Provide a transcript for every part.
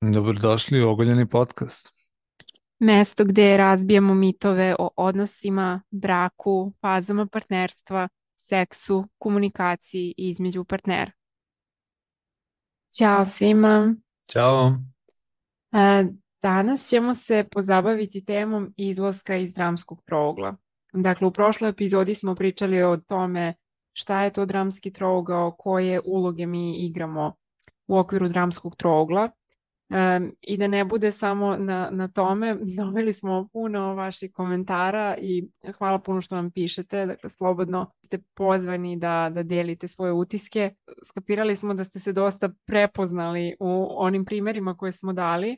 Dobrodošli u Ogoljeni podcast. Mesto gde razbijamo mitove o odnosima, braku, fazama partnerstva, seksu, komunikaciji između partnera. Ćao svima. Ćao. E, Danas ćemo se pozabaviti temom izlaska iz dramskog trougla. Dakle, u prošloj epizodi smo pričali o tome šta je to dramski trougao, koje uloge mi igramo u okviru dramskog trougla. I da ne bude samo na tome, dobili smo puno vaših komentara i hvala puno što nam pišete, dakle slobodno ste pozvani da delite svoje utiske. Skapirali smo da ste se dosta prepoznali u onim primerima koje smo dali,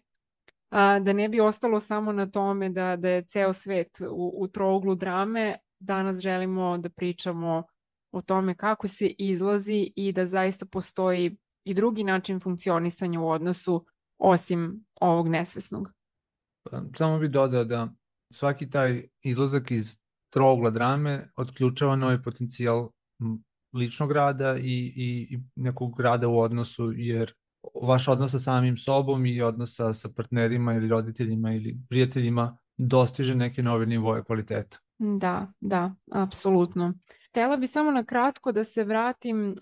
da ne bi ostalo samo na tome da je ceo svet u trouglu drame. Danas želimo da pričamo o tome kako se izlazi i da zaista postoji i drugi način funkcionisanja u odnosu osim ovog nesvesnog. Samo bih dodao da svaki taj izlazak iz trougla drame otključava novi potencijal ličnog rada i nekog rada u odnosu, jer vaš odnos sa samim sobom i odnos sa partnerima ili roditeljima ili prijateljima dostiže neke nove nivoje kvaliteta. Da, apsolutno. Htela bi samo na kratko da se vratim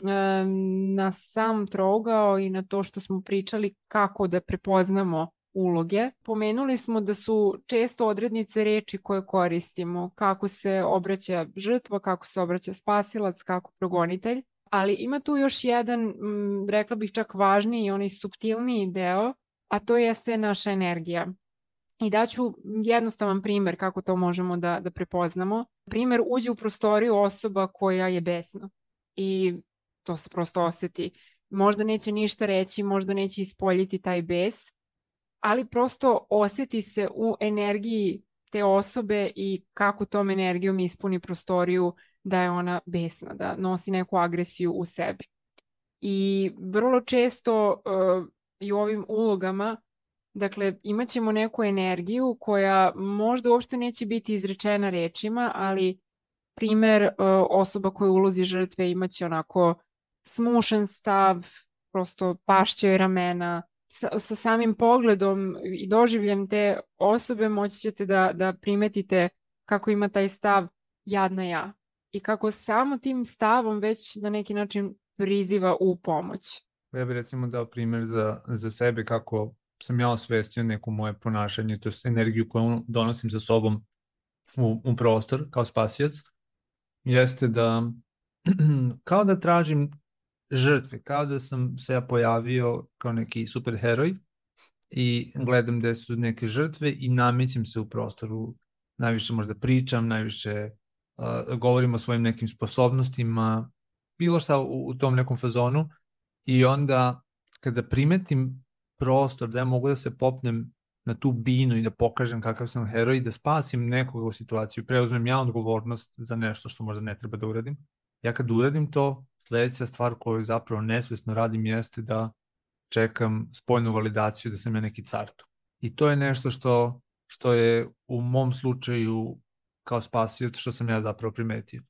na sam trougao i na to što smo pričali kako da prepoznamo uloge. Pomenuli smo da su često odrednice reči koje koristimo, kako se obraća žrtva, kako se obraća spasilac, kako progonitelj, ali ima tu još jedan, rekla bih čak važniji i onaj suptilniji deo, a to jeste naša energija. I daću jednostavan primer kako to možemo da prepoznamo. Primer, uđe u prostoriju osoba koja je besna i to se prosto oseti. Možda neće ništa reći, možda neće ispoljiti taj bes, ali prosto oseti se u energiji te osobe i kako tom energijom ispuni prostoriju da je ona besna, da nosi neku agresiju u sebi. I vrlo često i u ovim ulogama, dakle, imat ćemo neku energiju koja možda uopšte neće biti izrečena rečima, ali primer, osoba koja ulozi žrtve imaće onako smušen stav, prosto pašće joj ramena. Sa samim pogledom i doživljem te osobe moći ćete da primetite kako ima taj stav jadna ja. I kako samo tim stavom već na neki način priziva u pomoć. Ja bih recimo dao primjer za sebe kako sam ja osvestio neko moje ponašanje, to je energiju koju donosim sa sobom u prostor kao spasioc, jeste da kao da tražim žrtve, kao da sam se ja pojavio kao neki superheroj i gledam gde su neke žrtve i namećem se u prostoru. Najviše možda pričam, najviše govorim o svojim nekim sposobnostima, bilo šta u tom nekom fazonu, i onda kada primetim prostor da ja mogu da se popnem na tu binu i da pokažem kakav sam heroj i da spasim nekoga u situaciju, preuzmem ja odgovornost za nešto što možda ne treba da uradim. Ja kad uradim to, sledeća stvar koju zapravo nesvesno radim jeste da čekam spoljnu validaciju da sam ja neki car tu. I to je nešto što je u mom slučaju kao spasioc što sam ja zapravo primetio.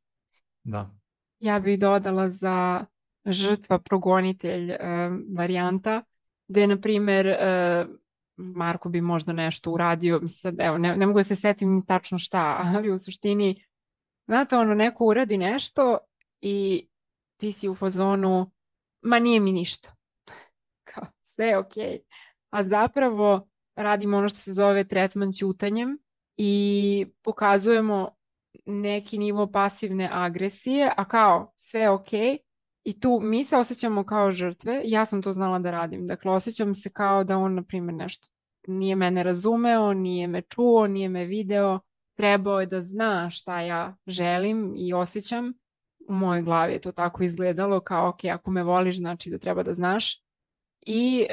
Da. Ja bih dodala za žrtva progonitelj varijanta, gde, na primer, Marko bi možda nešto uradio, sad, evo, ne mogu da se setim tačno šta, ali u suštini, znate, ono, neko uradi nešto i ti si u fazonu, ma nije mi ništa, kao, sve je okej. A zapravo radimo ono što se zove tretman ćutanjem i pokazujemo neki nivo pasivne agresije, a kao sve je okej. I tu mi se osjećamo kao žrtve, ja sam to znala da radim. Dakle, osjećam se kao da on, na primjer, nešto nije mene razumeo, nije me čuo, nije me video, trebao je da zna šta ja želim i osjećam. U mojoj glavi je to tako izgledalo, kao ok, ako me voliš, znači da treba da znaš. I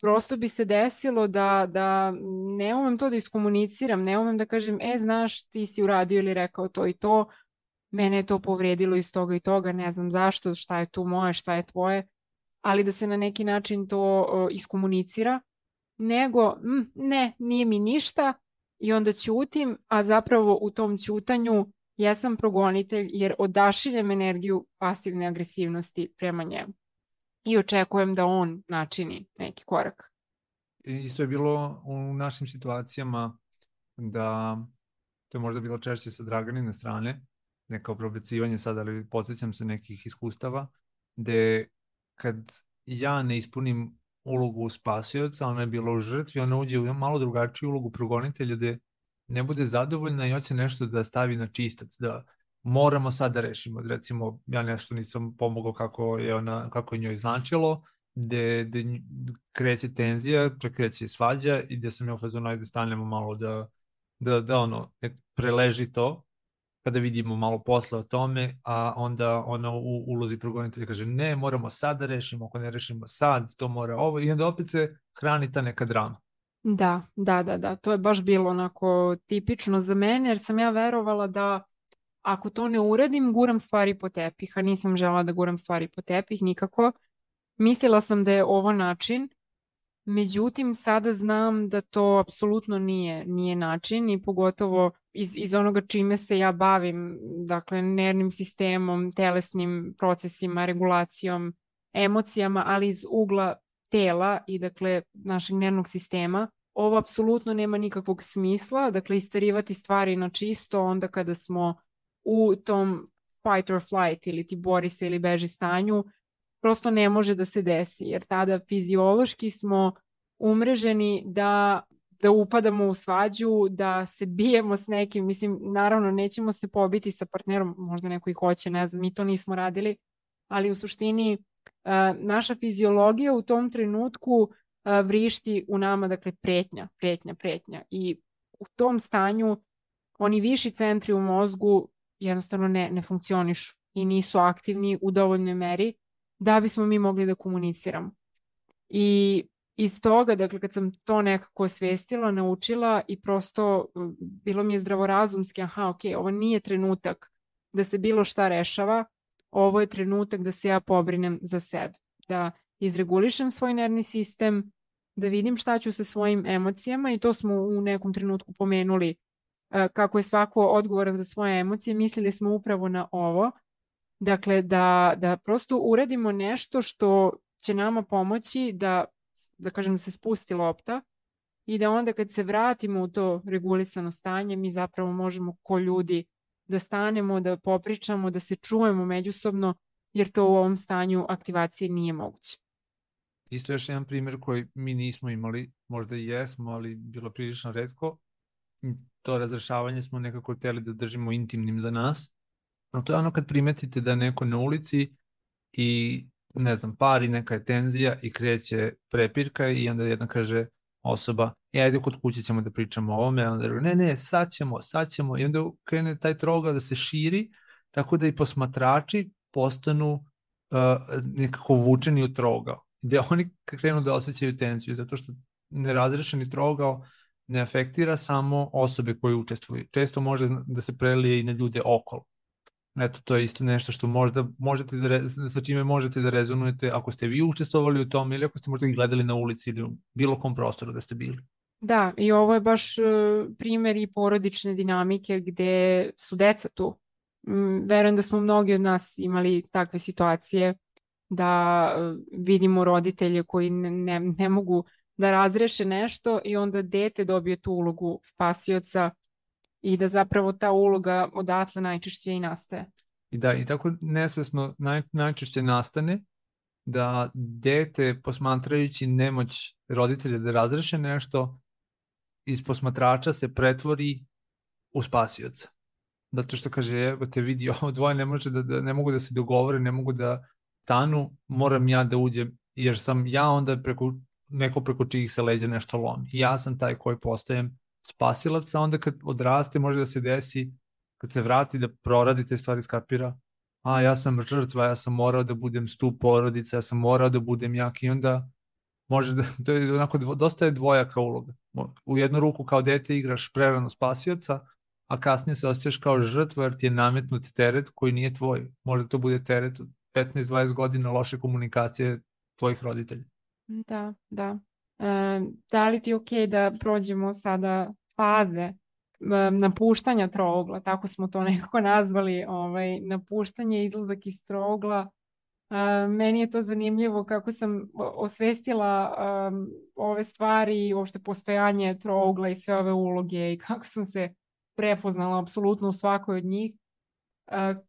prosto bi se desilo da ne umem to da iskomuniciram, ne umem da kažem, znaš, ti si uradio ili rekao to i to, mene je to povredilo iz toga i toga, ne znam zašto, šta je tu moje, šta je tvoje, ali da se na neki način to iskomunicira, nego ne, nije mi ništa i onda ćutim, a zapravo u tom ćutanju jesam progonitelj jer odašiljem energiju pasivne agresivnosti prema njemu i očekujem da on načini neki korak. isto je bilo u našim situacijama da to je možda bilo češće sa Draganine strane, ne kao probacivanje sad, ali podsjećam se nekih iskustava, gde kad ja ne ispunim ulogu spasioca, ona je bila u žrtvi, ona uđe u malo drugačiju ulogu progonitelja, gde ne bude zadovoljna i hoće nešto da stavi na čistac, da moramo sad da rešimo. Recimo, ja nešto nisam pomogao kako je njoj značilo, gde kreće tenzija, kreće svađa i gde sam ja u fazonu, ajde stanemo malo da ono, preleži to, kada vidimo malo posle o tome, a onda ona u ulozi progonitelja kaže ne, moramo sad da rešimo, ako ne rešimo sad, to mora ovo, i onda opet se hrani ta neka drama. Da, to je baš bilo onako tipično za mene, jer sam ja verovala da ako to ne uradim, guram stvari po tepih, a nisam žela da guram stvari po tepih nikako. Mislila sam da je ovo način, međutim sada znam da to apsolutno nije način i pogotovo iz onoga čime se ja bavim, dakle nervnim sistemom, telesnim procesima, regulacijom, emocijama, ali iz ugla tela i dakle našeg nervnog sistema. Ovo apsolutno nema nikakvog smisla, dakle isterivati stvari na čisto onda kada smo u tom fight or flight ili ti bori se ili beži stanju, prosto ne može da se desi, jer tada fiziološki smo umreženi da upadamo u svađu, da se bijemo s nekim, mislim, naravno nećemo se pobiti sa partnerom, možda neko i hoće, ne znam, mi to nismo radili, ali u suštini naša fiziologija u tom trenutku vrišti u nama, dakle, pretnja. I u tom stanju oni viši centri u mozgu jednostavno ne funkcionišu i nisu aktivni u dovoljnoj meri da bismo mi mogli da komuniciramo. I iz toga, dakle, kad sam to nekako osvestila, naučila i prosto bilo mi je zdravorazumski, ok, ovo nije trenutak da se bilo šta rešava, ovo je trenutak da se ja pobrinem za sebe, da izregulišem svoj nervni sistem, da vidim šta ću sa svojim emocijama i to smo u nekom trenutku pomenuli kako je svako odgovoran za svoje emocije, mislili smo upravo na ovo, dakle da prosto uradimo nešto što će nama pomoći da kažem da se spusti lopta i da onda kad se vratimo u to regulisano stanje mi zapravo možemo ko ljudi da stanemo, da popričamo, da se čujemo međusobno jer to u ovom stanju aktivacije nije moguće. Isto još jedan primjer koji mi nismo imali, možda i jesmo, ali bilo prilično retko. To razrešavanje smo nekako hteli da držimo intimnim za nas. No to je ono kad primetite da neko na ulici i ne znam, pari, neka je tenzija i kreće prepirka i onda jedna kaže osoba, ajde kod kuće ćemo da pričamo o ovome, onda ne, sad ćemo i onda krene taj troga da se širi, tako da i posmatrači postanu nekako vučeni u trogao, gde oni krenu da osjećaju tenziju, zato što nerazrešeni trogao ne afektira samo osobe koje učestvuju. Često može da se prelije i na ljude okolo. Eto, to je isto nešto što možda možete sa čime možete da rezonujete ako ste vi učestvovali u tom ili ako ste možda ih gledali na ulici ili u bilo kom prostoru da ste bili. Da, i ovo je baš primer i porodične dinamike gde su deca tu. Verujem da smo mnogi od nas imali takve situacije da vidimo roditelje koji ne mogu da razreše nešto i onda dete dobije tu ulogu spasioca i da zapravo ta uloga odatle najčešće i nastaje. I tako nesvesno najčešće nastane da dete posmatrajući nemoć roditelja da razreše nešto iz posmatrača se pretvori u spasioca. Zato što kaže, evo te vidi, ovo dvoje ne mogu da se dogovore, ne mogu da stanu, moram ja da uđem, jer sam ja onda neko preko čijih se leđa nešto lomi. Ja sam taj koji postajem spasilac, a onda kad odraste može da se desi, kad se vrati da proradi te stvari, skapira, ja sam žrtva, ja sam morao da budem stup porodice, ja sam morao da budem jak i onda može da, to je onako, dosta je dvojaka uloga. U jednu ruku kao dete igraš prerano spasioca, a kasnije se osjećaš kao žrtva jer ti je nametnut teret koji nije tvoj. Možda to bude teret od 15-20 godina loše komunikacije tvojih roditelja. Da. Da li ti je okej da prođemo sada faze napuštanja trougla, tako smo to nekako nazvali, napuštanje, izlazak iz trougla Meni je to zanimljivo kako sam osvestila ove stvari, uopšte postojanje trougla i sve ove uloge i kako sam se prepoznala apsolutno u svakoj od njih.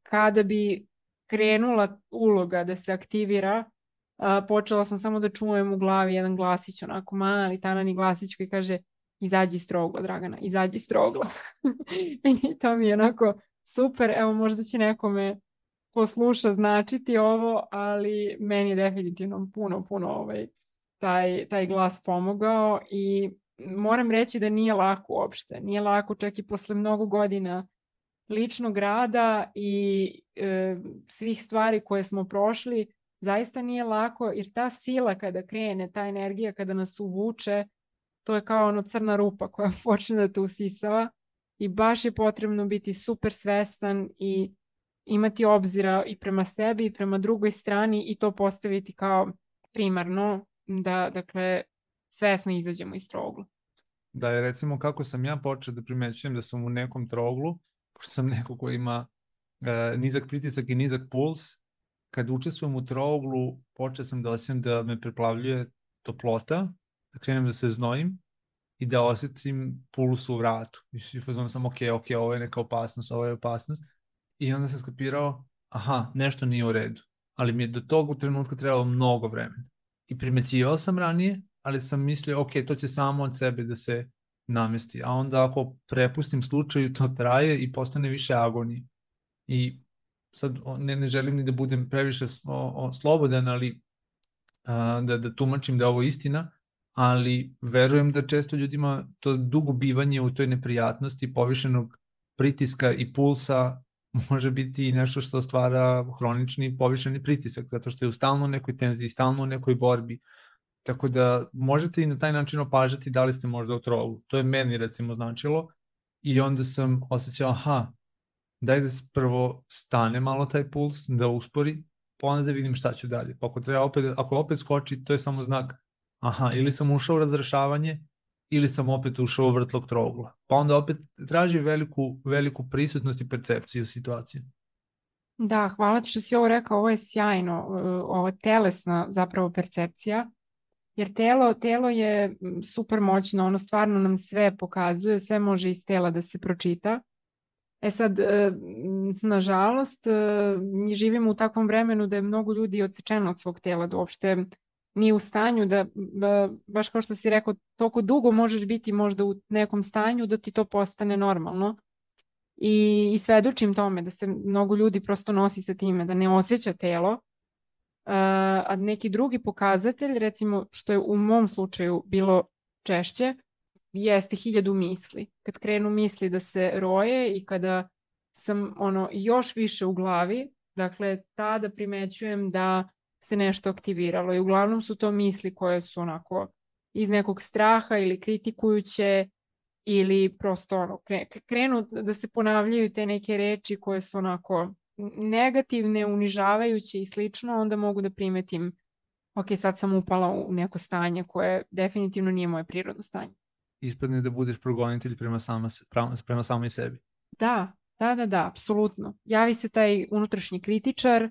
Kada bi krenula uloga da se aktivira, počela sam samo da čujem u glavi jedan glasić, onako mali tanani glasić koji kaže izađi iz trougla, Dragana, izađi iz trougla. I to mi je onako super, evo možda će nekome ko sluša značiti ovo, ali meni je definitivno puno taj glas pomogao i moram reći da nije lako uopšte. Nije lako čak i posle mnogo godina ličnog rada i svih stvari koje smo prošli, zaista nije lako jer ta sila kada krene, ta energija kada nas uvuče, to je kao ono crna rupa koja počne da te usisava i baš je potrebno biti super svestan i imati obzira i prema sebi i prema drugoj strani i to postaviti kao primarno da, dakle, svesno izađemo iz trougla. Da je recimo kako sam ja počeo da primećujem da sam u nekom trouglu, pošto sam neko ko ima nizak pritisak i nizak puls, kad učestvujem u trouglu, počeo sam da osjećam da me preplavljuje toplota, da krenem da se znojim i da osjetim puls u vratu. I fazon sam, ok, ovo je neka opasnost, ovo je opasnost. I onda sam skapirao, aha, nešto nije u redu. Ali mi je do tog trenutka trebalo mnogo vremena. I primećivao sam ranije, ali sam mislio, ok, to će samo od sebe da se namesti. A onda ako prepustim slučaju, to traje i postane više agonije. I sad ne želim ni da budem previše slobodan, ali da tumačim da je ovo istina, ali verujem da često ljudima to dugo bivanje u toj neprijatnosti, povišenog pritiska i pulsa može biti i nešto što stvara hronični povišeni pritisak, zato što je u stalno nekoj tenziji, stalno u nekoj borbi. Tako da možete i na taj način opažati da li ste možda u trouglu. To je meni recimo značilo i onda sam osjećao, aha, daj da prvo stane malo taj puls, da uspori, pa onda da vidim šta ću dalje. Pa ako opet skoči, to je samo znak, aha, ili sam ušao u razrešavanje, ili sam opet ušao u vrtlog trougla. Pa onda opet traži veliku prisutnost i percepciju situacije. Da, hvala ti što si ovo rekao, ovo je sjajno, ovo telesna zapravo percepcija, jer telo je super moćno, ono stvarno nam sve pokazuje, sve može iz tela da se pročita. E sad, nažalost, mi živimo u takvom vremenu da je mnogo ljudi odsečeno od svog tela, da uopšte nije u stanju da, baš kao što si rekao, toliko dugo možeš biti možda u nekom stanju da ti to postane normalno. I svedočim tome da se mnogo ljudi prosto nosi sa time, da ne osjeća telo, a neki drugi pokazatelj, recimo što je u mom slučaju bilo češće, jeste 1000 misli. Kad krenu misli da se roje i kada sam još više u glavi, dakle tada primećujem da se nešto aktiviralo i uglavnom su to misli koje su onako iz nekog straha ili kritikujuće ili prosto krenu da se ponavljaju te neke reči koje su onako negativne, unižavajuće i slično, onda mogu da primetim ok, sad sam upala u neko stanje koje definitivno nije moje prirodno stanje. Ispadne da budeš progonitelj prema samoj sebi. Da, apsolutno. Javi se taj unutrašnji kritičar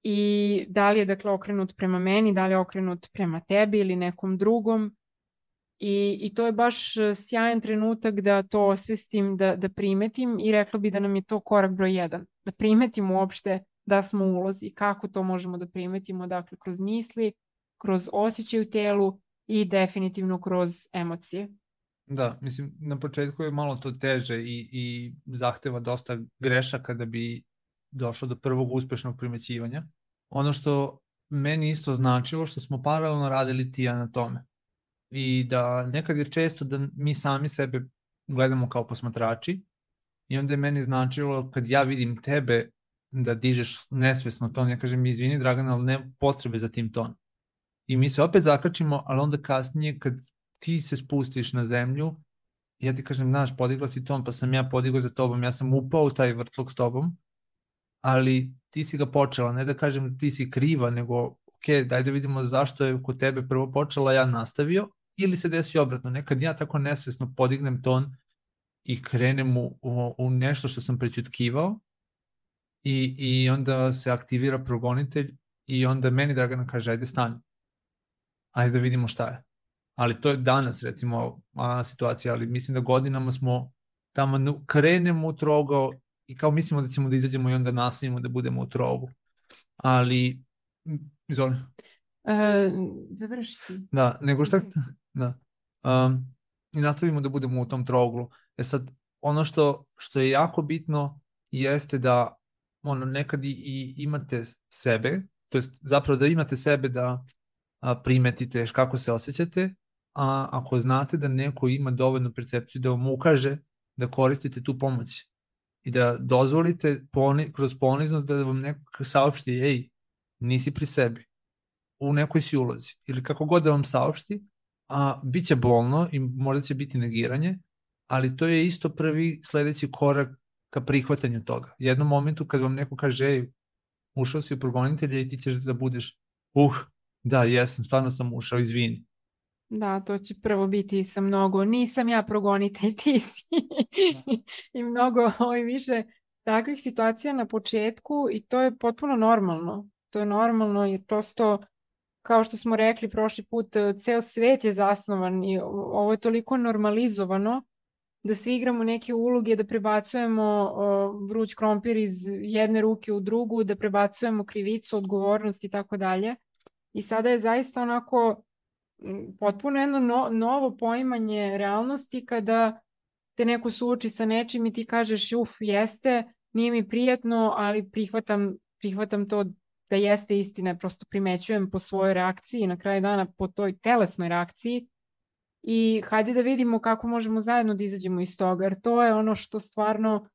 i da li je dakle okrenut prema meni, da li je okrenut prema tebi ili nekom drugom. I to je baš sjajan trenutak da to osvestim, da primetim i rekla bi da nam je to korak broj 1. Da primetimo uopšte da smo u ulozi. Kako to možemo da primetimo? Dakle, kroz misli, kroz osjećaj u telu i definitivno kroz emocije. Da, mislim, na početku je malo to teže i zahteva dosta grešaka da bi došlo do prvog uspešnog primećivanja. Ono što meni isto značilo, što smo paralelno radili ti ja na tome. I da nekad je često da mi sami sebe gledamo kao posmatrači i onda je meni značilo kad ja vidim tebe da dižeš nesvesno ton, ja kažem izvini Dragana, ali ne potrebe za tim ton. I mi se opet zakačimo, ali onda kasnije kad ti se spustiš na zemlju, ja ti kažem, znaš, podigla si ton, pa sam ja podigao za tobom, ja sam upao u taj vrtlog s tobom, ali ti si ga počela, ne da kažem ti si kriva, nego ok, daj da vidimo zašto je kod tebe prvo počela, ja nastavio, ili se desi obratno, nekad ja tako nesvesno podignem ton i krenem u nešto što sam prećutkivao i onda se aktivira progonitelj i onda meni Dragana kaže, ajde stani, ajde da vidimo šta je. Ali to je danas, recimo, situacija, ali mislim da godinama smo tamo krenemo u trogao i kao mislimo da ćemo da izađemo i onda nastavimo da budemo u trogu. Ali, izvoli. Završi. Da, nego šta, da. I nastavimo da budemo u tom trouglu. Sad, ono što je jako bitno jeste da nekad i imate sebe, to jest zapravo da imate sebe da primetite kako se osjećate, a ako znate da neko ima dovoljnu percepciju da vam ukaže da koristite tu pomoć i da dozvolite kroz poniznost da vam neko saopšti, ej, nisi pri sebi, u nekoj si ulozi, ili kako god da vam saopšti, bit će bolno i možda će biti negiranje, ali to je isto prvi sledeći korak ka prihvatanju toga. U jednom momentu kad vam neko kaže, ej, ušao si u progonitelja i ti ćeš da budeš, da, jesam, stvarno sam ušao, izvini. Da, to će prvo biti sa mnogo, nisam ja progonitelj, ti si. I mnogo više takvih situacija na početku i to je potpuno normalno. To je normalno jer prosto, kao što smo rekli prošli put, ceo svet je zasnovan i ovo je toliko normalizovano da svi igramo neke uloge, da prebacujemo vruć krompir iz jedne ruke u drugu, da prebacujemo krivicu, odgovornost i tako dalje. I sada je zaista onako potpuno jedno novo poimanje realnosti kada te neko suoči sa nečim i ti kažeš jeste, nije mi prijatno, ali prihvatam to da jeste istina, prosto primećujem po svojoj reakciji, na kraju dana po toj telesnoj reakciji i hajde da vidimo kako možemo zajedno da izađemo iz toga, jer to je ono što stvarno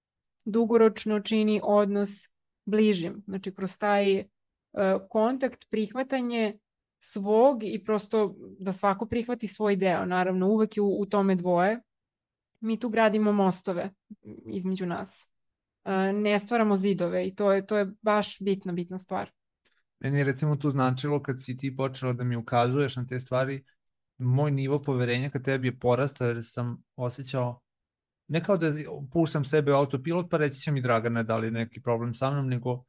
dugoročno čini odnos bližim. Znači kroz taj kontakt, prihvatanje svog i prosto da svako prihvati svoj deo. Naravno, uvek je u tome dvoje. Mi tu gradimo mostove između nas. Ne stvaramo zidove i to je baš bitna stvar. Meni je recimo tu značilo kad si ti počela da mi ukazuješ na te stvari, moj nivo poverenja ka tebi je porastao jer sam osjećao ne kao da puštam sebe u autopilot pa reći će mi Dragana da li neki problem sa mnom, nego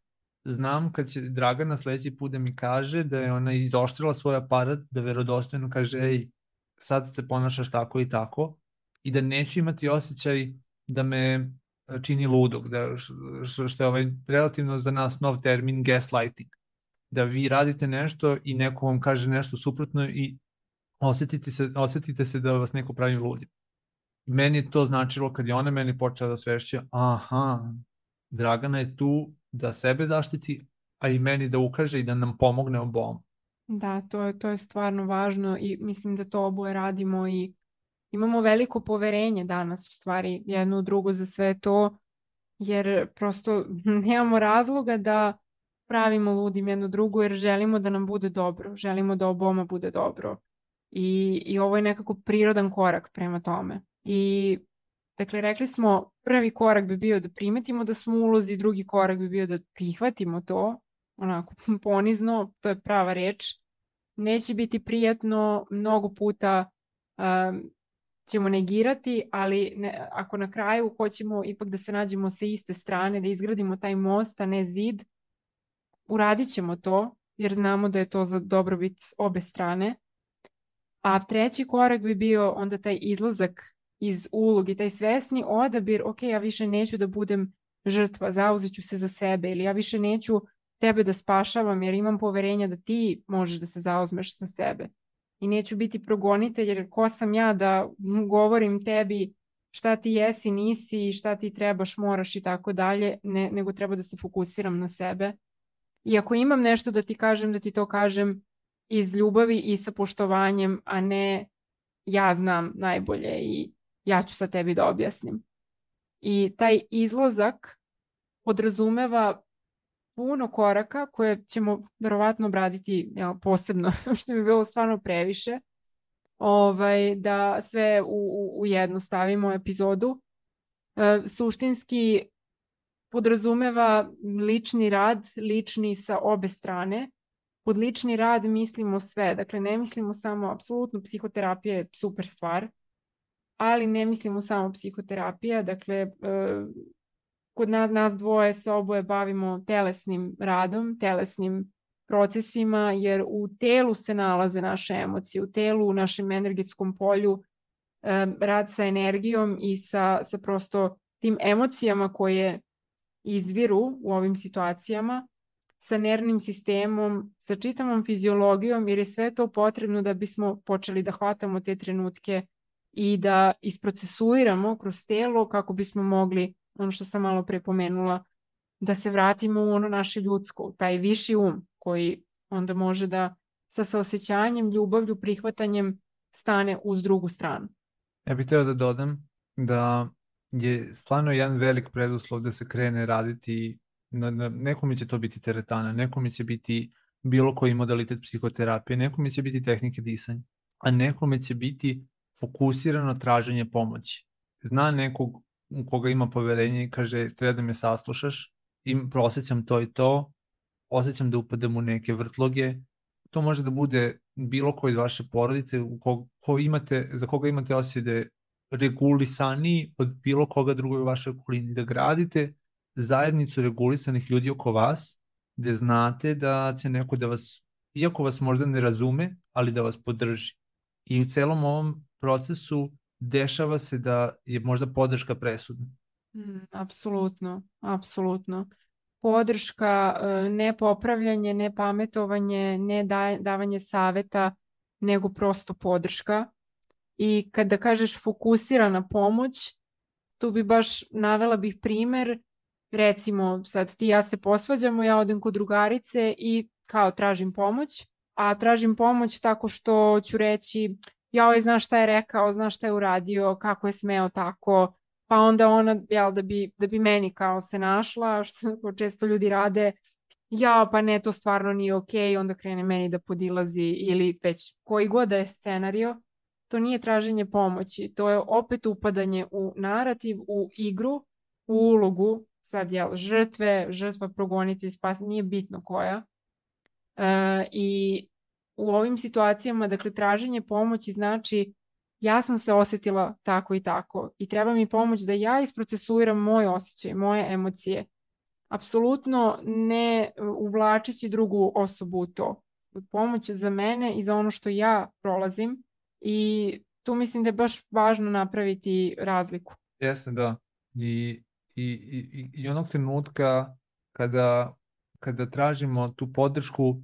znam kad će Dragana sledeći put da mi kaže da je ona izoštrila svoj aparat, da verodostojno kaže ej, sad se ponašaš tako i tako i da neću imati osjećaj da me čini ludog, što je relativno za nas nov termin gaslighting, da vi radite nešto i neko vam kaže nešto suprotno i osetite se da vas neko pravi ludim. Meni je to značilo kad je ona meni počela da svešće, Dragana je tu da sebe zaštiti, a i meni da ukaže i da nam pomogne obom. Da, to je stvarno važno i mislim da to oboje radimo i imamo veliko poverenje danas u stvari jedno u drugo za sve to, jer prosto nemamo razloga da pravimo ludim jedno drugo jer želimo da nam bude dobro, želimo da oboma bude dobro i ovo je nekako prirodan korak prema tome. I dakle, rekli smo prvi korak bi bio da primetimo da smo u ulozi, drugi korak bi bio da prihvatimo to, onako ponizno, to je prava reč. Neće biti prijatno, mnogo puta ćemo negirati, ali ako na kraju hoćemo ipak da se nađemo sa iste strane, da izgradimo taj most, a ne zid, uradit ćemo to, jer znamo da je to za dobrobit obe strane. A treći korak bi bio onda taj izlazak iz ulogi, taj svesni odabir, ok, ja više neću da budem žrtva, zauzet ću se za sebe ili ja više neću tebe da spašavam jer imam poverenja da ti možeš da se zauzmeš za sebe. I neću biti progonitelj jer ko sam ja da govorim tebi šta ti jesi, nisi, šta ti trebaš, moraš i tako dalje, nego treba da se fokusiram na sebe. I ako imam nešto da ti kažem, da ti to kažem iz ljubavi i sa poštovanjem, a ne ja znam najbolje i ja ću sa tebi da objasnim. I taj izlazak podrazumeva puno koraka koje ćemo verovatno obraditi posebno, što bi bilo stvarno previše, da sve u jednu stavimo epizodu. Suštinski podrazumeva lični rad, lični sa obe strane. Pod lični rad mislimo sve, dakle ne mislimo samo, apsolutno psihoterapija je super stvar, ali ne mislimo samo psihoterapija, dakle kod nas dvoje se oboje bavimo telesnim radom, telesnim procesima, jer u telu se nalaze naše emocije, u telu, u našem energetskom polju, rad sa energijom i sa prosto tim emocijama koje izviru u ovim situacijama, sa nervnim sistemom, sa čitavom fiziologijom, jer je sve to potrebno da bismo počeli da hvatamo te trenutke i da isprocesuiramo kroz telo kako bismo mogli, ono što sam malo pre pomenula, da se vratimo u ono naše ljudsko, u taj viši koji onda može da sa saosećanjem, ljubavlju, prihvatanjem stane uz drugu stranu. Ja bih htio da dodam da je stvarno jedan velik preduslov da se krene raditi, nekome će to biti teretana, nekome će biti bilo koji modalitet psihoterapije, nekome će biti tehnike disanja, a nekome će biti fokusirano traženje pomoći. Zna nekog u koga ima poverenje i kaže treba da me saslušaš, prosećam to i to, osjećam da upadam u neke vrtloge. To može da bude bilo ko iz vaše porodice za koga imate osjećaj da je regulisaniji od bilo koga drugog u vašoj okolini, da gradite zajednicu regulisanih ljudi oko vas, gde znate da će neko da vas, iako vas možda ne razume, ali da vas podrži. I u celom ovom procesu dešava se da je možda podrška presudna. Apsolutno, apsolutno. Podrška, ne popravljanje, ne pametovanje, ne davanje saveta, nego prosto podrška. I kada kažeš fokusirana pomoć, tu bi baš navela bih primer, recimo sad ti i ja se posvađamo, ja odem kod drugarice i kao tražim pomoć, a tražim pomoć tako što ću reći joj, znaš šta je rekao, znaš šta je uradio, kako je smeo tako, pa onda ona, jel, da bi meni kao se našla, što često ljudi rade, ja, pa ne, to stvarno nije okej, onda krene meni da podilazi ili već koji god da je scenario, to nije traženje pomoći, to je opet upadanje u narativ, u igru, u ulogu, sad jel, žrtva progoniti, nije bitno koja. I u ovim situacijama, dakle, traženje pomoći znači ja sam se osjetila tako i tako i treba mi pomoć da ja isprocesuiram moj osjećaj, moje emocije. Apsolutno ne uvlačeći drugu osobu u to. Pomoć za mene i za ono što ja prolazim i tu mislim da je baš važno napraviti razliku. Jeste, da. I onog trenutka kada tražimo tu podršku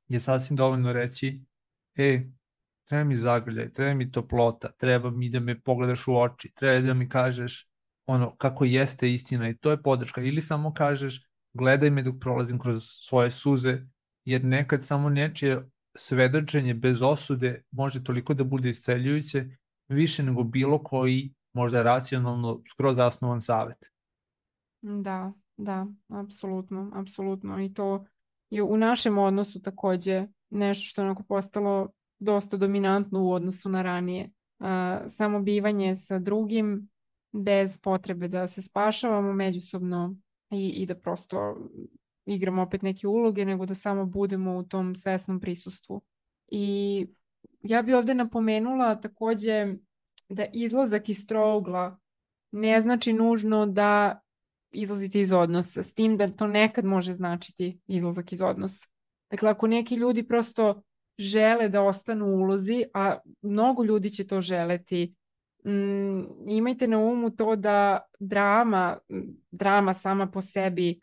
je sasvim dovoljno reći treba mi zagrljaj, treba mi toplota, treba mi da me pogledaš u oči, treba da mi kažeš ono kako jeste istina i to je podrška. Ili samo kažeš gledaj me dok prolazim kroz svoje suze, jer nekad samo nečije svedočenje bez osude može toliko da bude isceljujuće, više nego bilo koji možda racionalno skroz zasnovan savet. Da, apsolutno. I to je u našem odnosu takođe nešto što je onako postalo dosta dominantno u odnosu na ranije. Samo bivanje sa drugim bez potrebe da se spašavamo međusobno i da prosto igramo opet neke uloge, nego da samo budemo u tom svesnom prisustvu. I ja bi ovde napomenula takođe da izlazak iz trougla ne znači nužno da izlazite iz odnosa, s tim da to nekad može značiti izlazak iz odnosa. Dakle, ako neki ljudi prosto žele da ostanu u ulozi, a mnogo ljudi će to želeti, imajte na umu to da drama sama po sebi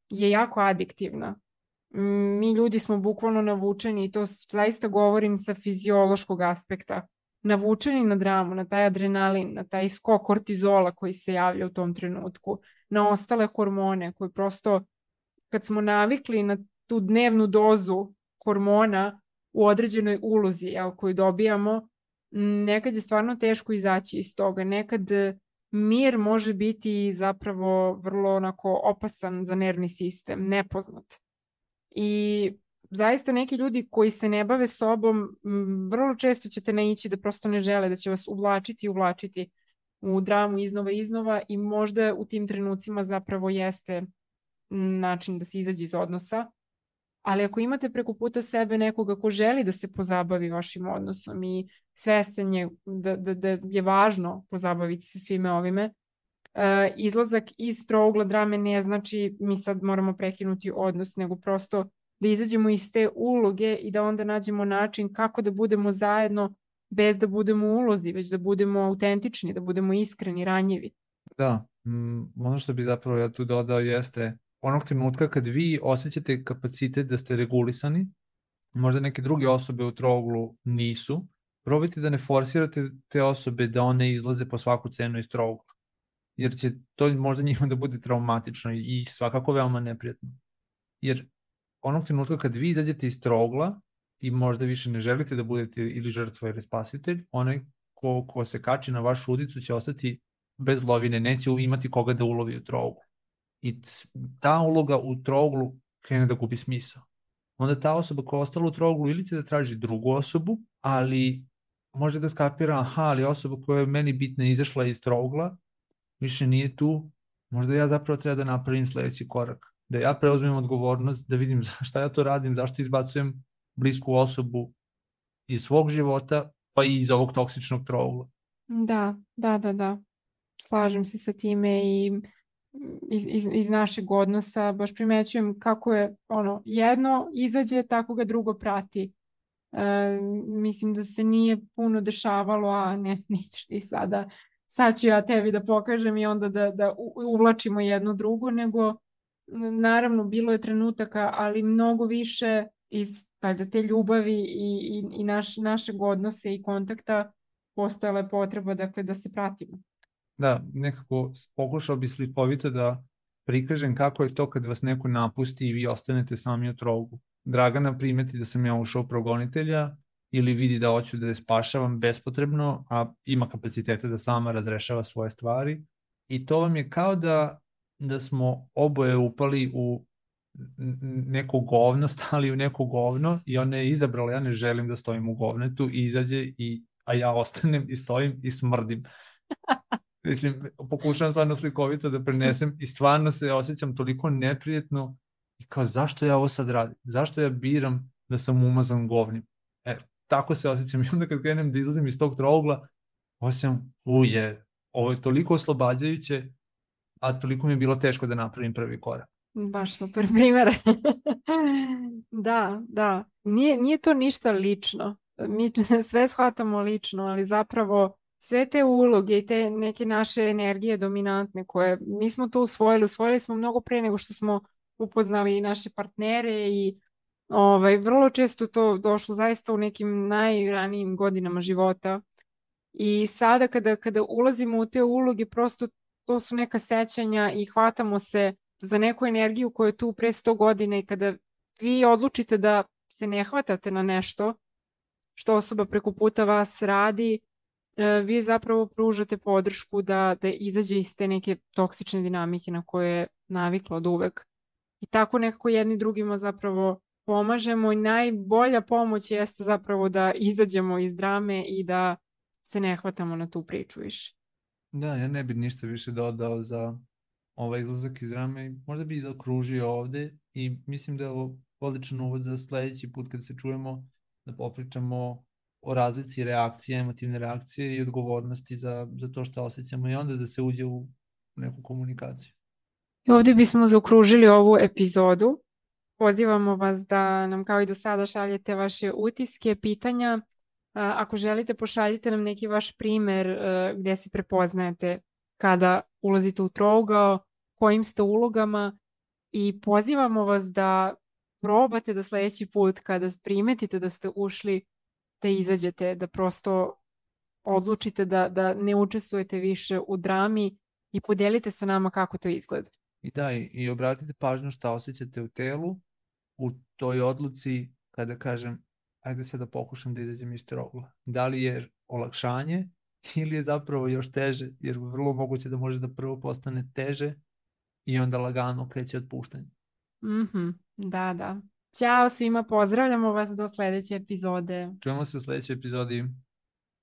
je jako adiktivna. Mi ljudi smo bukvalno navučeni i to zaista govorim sa fiziološkog aspekta. Navučeni na dramu, na taj adrenalin, na taj skok kortizola koji se javlja u tom trenutku, na ostale hormone koji prosto kad smo navikli na tu dnevnu dozu hormona u određenoj ulozi koju dobijamo, nekad je stvarno teško izaći iz toga. Nekad mir može biti zapravo vrlo onako opasan za nervni sistem, nepoznat. I zaista neki ljudi koji se ne bave sobom, vrlo često ćete naići da prosto ne žele, da će vas uvlačiti u dramu iznova i možda u tim trenucima zapravo jeste način da se izađe iz odnosa. Ali ako imate preko puta sebe nekoga ko želi da se pozabavi vašim odnosom i svestan je da je važno pozabaviti se svime ovime, izlazak iz trougla drame ne znači mi sad moramo prekinuti odnos, nego prosto da izađemo iz te uloge i da onda nađemo način kako da budemo zajedno bez da budemo u ulozi, već da budemo autentični, da budemo iskreni, ranjivi. Da, ono što bi zapravo ja tu dodao jeste onog trenutka kad vi osjećate kapacitet da ste regulisani, možda neke druge osobe u trouglu nisu, probajte da ne forsirate te osobe da one izlaze po svaku cenu iz trougla, jer će to možda njima da bude traumatično i svakako veoma neprijatno. Jer onog trenutka kad vi izađete iz trougla i možda više ne želite da budete ili žrtva ili spasitelj, onaj ko se kači na vašu udicu će ostati bez lovine, neće imati koga da ulovi u trouglu. I ta uloga u trouglu krene da gubi smisao. Onda ta osoba koja je ostala u trouglu ili će da traži drugu osobu, ali može da skapira, aha, ali osoba koja je meni bitna izašla iz trougla, više nije tu, možda ja zapravo treba da napravim sledeći korak. Da ja preuzmem odgovornost, da vidim šta ja to radim, zašto izbacujem blisku osobu iz svog života, pa i iz ovog toksičnog trougla. Da. Slažem se sa time i iz našeg odnosa baš primećujem kako je jedno izađe, tako ga drugo prati. Mislim da se nije puno dešavalo, a nećeš ti sada, sad ću ja tebi da pokažem i onda da uvlačimo jedno drugo, nego naravno bilo je trenutaka, ali mnogo više iz te ljubavi i našeg odnosa i kontakta postojala je potreba da se pratimo. Da, nekako pokušao bi slikovito da prikažem kako je to kad vas neko napusti i vi ostanete sami u trouglu. Dragana primeti da sam ja ušao progonitelja ili vidi da hoću da je spašavam bespotrebno, a ima kapacitete da sama razrešava svoje stvari. I to vam je kao da smo oboje upali u neko govno, stali u neko govno i ona je izabrala, ja ne želim da stojim u govnetu i izađe, a ja ostanem i stojim i smrdim. Mislim, pokušavam stvarno slikovito da prenesem i stvarno se osjećam toliko neprijetno i kao zašto ja ovo sad radim? Zašto ja biram da sam umazan govnim? Tako se osjećam i onda kad krenem da izlazim iz tog trougla, osjećam, ovo je toliko oslobađajuće, a toliko mi je bilo teško da napravim prvi korak. Baš super primjer. Da. Nije to ništa lično. Mi sve shvatamo lično, ali zapravo sve te uloge i te neke naše energije dominantne koje mi smo to usvojili smo mnogo pre nego što smo upoznali i naše partnere i vrlo često to došlo zaista u nekim najranijim godinama života. I sada kada ulazimo u te uloge, prosto to su neka sećanja i hvatamo se za neku energiju koja je tu pre 100 godina i kada vi odlučite da se ne hvatate na nešto što osoba preko puta vas radi, vi zapravo pružate podršku da izađe iz te neke toksične dinamike na koje je navikla od uvek. I tako nekako jedni drugima zapravo pomažemo i najbolja pomoć jeste zapravo da izađemo iz drame i da se ne hvatamo na tu priču više. Da, ja ne bih ništa više dodao za ovaj izlazak iz drame. Možda bih zaokružio ovde i mislim da je ovo odličan uvod za sledeći put kad se čujemo da popričamo o razlici reakcije, emotivne reakcije i odgovornosti za to što osjećamo i onda da se uđe u neku komunikaciju. I ovdje bismo zaokružili ovu epizodu. Pozivamo vas da nam kao i do sada šaljete vaše utiske, pitanja. Ako želite, pošaljite nam neki vaš primer gdje se prepoznajete kada ulazite u trougao, kojim ste ulogama i pozivamo vas da probate da sledeći put kada primetite da ste ušli da izađete, da prosto odlučite da ne učestvujete više u drami i podelite sa nama kako to izgleda. I da, i obratite pažnju šta osjećate u telu, u toj odluci kada kažem ajde sad da pokušam da izađem iz trougla. Da li je olakšanje ili je zapravo još teže, jer vrlo moguće da može da prvo postane teže i onda lagano kreće otpuštanje. Da. Ćao svima, pozdravljamo vas do sledeće epizode. Čujemo se u sledećoj epizodi.